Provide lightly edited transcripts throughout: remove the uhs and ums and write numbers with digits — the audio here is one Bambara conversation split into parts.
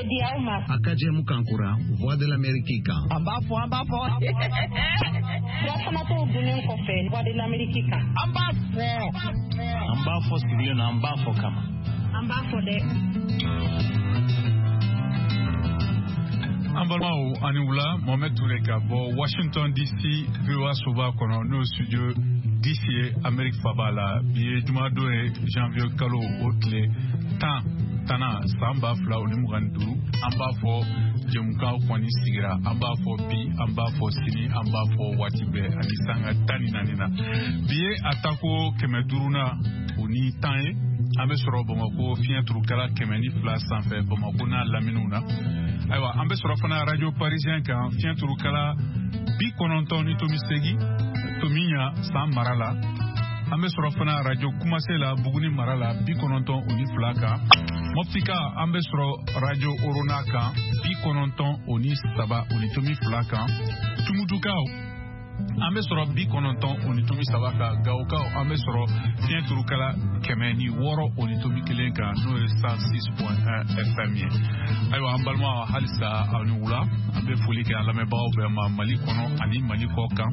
di aw ma. A ka jɛmukan kura Voix de l'Amérique kan. An b'a fɔ, an b'a fɔ. Surafanato dunnen kɔfɛ Voix de l'Amérique kan. An b'a fɔ. An b'a fɔ sigilen na, an b'a fɔ kama. An b'a fɔ dɛ. An balimaw, ani wula. Mohamed Toure ka bɔ Washington DC, VOA soba kɔnɔ, n'o studio DC ye, Amérique faba la. Bi ye jumadon ye, janvier kalo o tile 10 san 2025. An b'a fɔ jɛmukan kɔni sigira, an b'a fɔ bi, an b'a fɔ sini, an b'a fɔ waati bɛɛ ani sanga 14 na. Bi ye a tako 510 ye. An bɛ sɔrɔ Bamakɔ fiɲɛ turukala 102 sanfɛ, Bamakɔ n'a laminiw na. Ayiwa, an bɛ sɔrɔ fana Radio Parisien kan, fiɲɛ turukala 90.8, Tomiɲa san mara la. An bɛ sɔrɔ fana Radio Kumase la, Buguni mara la, 92 kan. Moptika, an bɛ sɔrɔ Radio Orona kan, 93.2 kan. Tumutukaw, an bɛ sɔrɔ 90.3 kan. Gawokaw, an bɛ sɔrɔ fiɲɛ turukala 106.1 kan, n'o ye 106.1 FM ye. Ayiwa, an balima, halisa aw ni wula. An bɛ foli kɛ an lamɛnbagaw bɛɛ ma, Mali kɔnɔ ani Mali kɔ kan.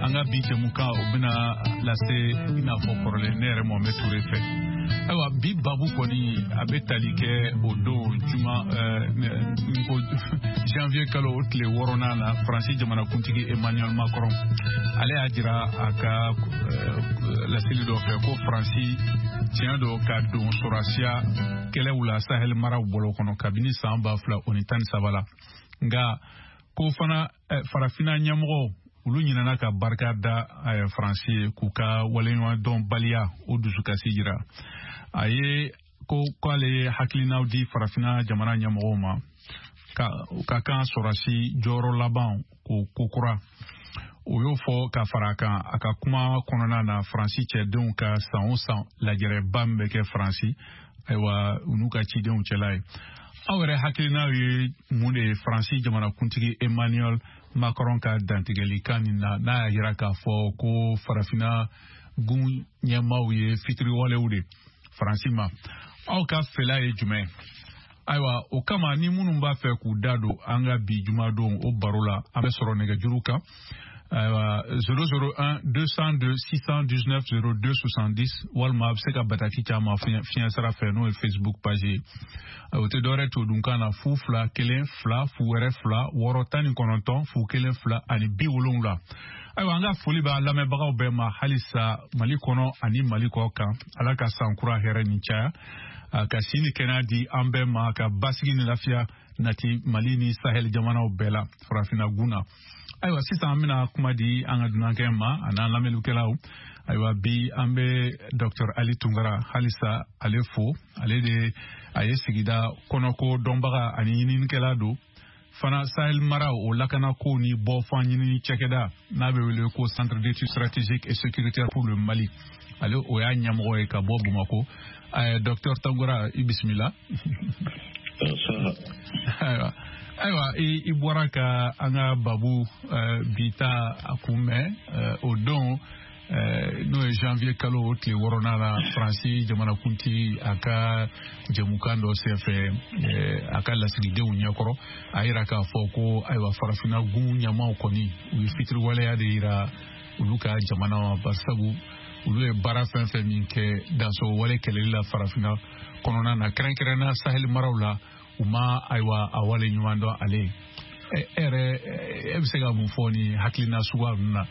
An ka bi jɛmukan, o bɛna lase i n'a fɔ kɔrɔlen, ne yɛrɛ Mohamed Toure fɛ. Ayiwa, bi babu kɔni, a bɛ tali kɛ o don juma ko janvier kalo o tile 6nan na, Faransi jamanakuntigi Emmanuel Macron, ale y'a jira a ka laseli dɔ fɛ ko Faransi tiɲɛ don ka don sɔrɔsiya kɛlɛw la Sahel maraw bolo kɔnɔ kabini san 2013 la. Nka ko fana Farafina ɲɛmɔgɔw, olu ɲinɛna ka barika da Faransi ye, k'u ka waleɲumandɔnbaliya o dusukasi jira. A ye ko k'ale ye hakilinaw di Farafina jamana ɲɛmɔgɔw ma ka kan sɔrɔsi jɔyɔrɔ laban ko kokura. O y'o fɔ ka fara a kan a ka kuma kɔnɔna na, Faransi cɛdenw ka san o san lajɛrɛba min bɛ kɛ Faransi, ayiwa, u n'u ka cidenw cɛla ye. Aw yɛrɛ hakilinaw ye mun de ye Faransi jamanakuntigi Emmanuel Macron ka dantigɛlikan nin na, n'a y'a jira k'a fɔ ko Farafina gun ɲɛmaaw ye fitiriwalew de Faransi ma? Aw ka fɛla ye jumɛn? Ayiwa, o kama, ni minnu b'a fɛ k'u da don an ka bi jumadon o baro la, an bɛ sɔrɔ nɛgɛjuru kan. Ayiwa, 001 202 619 02 70, walima a bɛ se ka bataki caman fiɲɛ sira fɛ, n'o ye Facebook page ye. O tɛ dɔwɛrɛ todunkan na: 0 2 1 2 0 wɛrɛ 2 6 19 0 1 2 ani 70. Ayiwa, an ka foli b'a lamɛnbagaw bɛɛ ma halisa, Mali kɔnɔ ani Mali kɔ kan. Ala ka san kura hɛrɛ ni caya, ka si ni kɛnɛya di an bɛɛ ma, ka basigi ni lafiya nati Mali ni Sahel jamanaw bɛɛ la, Farafinna gun na. Ayiwa, sisan an bɛna kuma di an ka dunankɛ ma a n'an lamɛnnikɛlaw. Ayiwa, bi an bɛ Dr Ali Tunkara halisa ale fo. Ale de a ye sigida kɔnɔko dɔnbaga ani ɲininikɛla don fana, Sahel mara o lakanako ni bɔfan ɲinini cakɛda n'a bɛ wele ko Centre d'études stratégiques et sécuritaires pour le Mali, ale o y'a ɲɛmɔgɔ ye, ka bɔ Bamakɔ. Docteur Tunkara, i bisimila. Ayiwa, i bɔra ka an ka babu bi ta a kunbɛn. O don, n'o ye janvier kalo o tile 6nan la, Faransi jamanakuntigi, a ka jɛmukan dɔ senfɛ, a ka lasigidenw ɲɛkɔrɔ, a yira k'a fɔ ko ayiwa, Farafinna gun ɲɛmaw kɔni, u ye fitiriwaleya de yira olu ka jamana ma, barisabu olu ye baara fɛn fɛn min kɛ dansɔgɔ wale kɛlɛli la Farafinna kɔnɔna na, kɛrɛnkɛrɛnna Sahel maraw la, u ma ayiwa a wale ɲuman dɔn ale ye. E yɛrɛ, e bɛ se ka mun fɔ ni hakilina suguya ninnu na,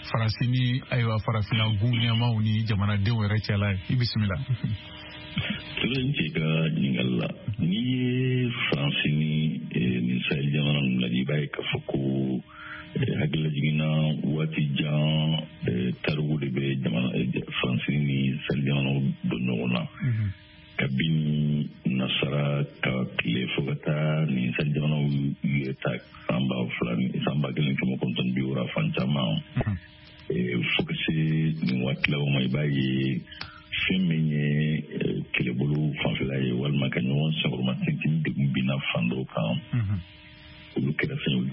Faransi ni ayiwa Farafinna gun ɲɛmaw ni jamanadenw yɛrɛ cɛla ye? I bisimila. Ture, n cɛ ka ɲininkali la, n'i ye Faransi ni nin Sahel jamana ninnu lajɛ, i b'a ye k'a fɔ ko hakilila jiginna waati jan tariku de bɛ jamana Faransi ni Sahel jamanaw don ɲɔgɔn na. Kabini nasara ka tile fo ka taa nin Sahel jamanaw yɛrɛ ta san 2000 ni san 1960 fan caman, fo ka se nin waati laban ma, i b'a ye fɛn min ye kɛlɛbolo fanfɛla ye, walima ka ɲɔgɔn senkɔrɔma tintin, degun binna fan dɔw kan, olu kɛra fɛn ye, olu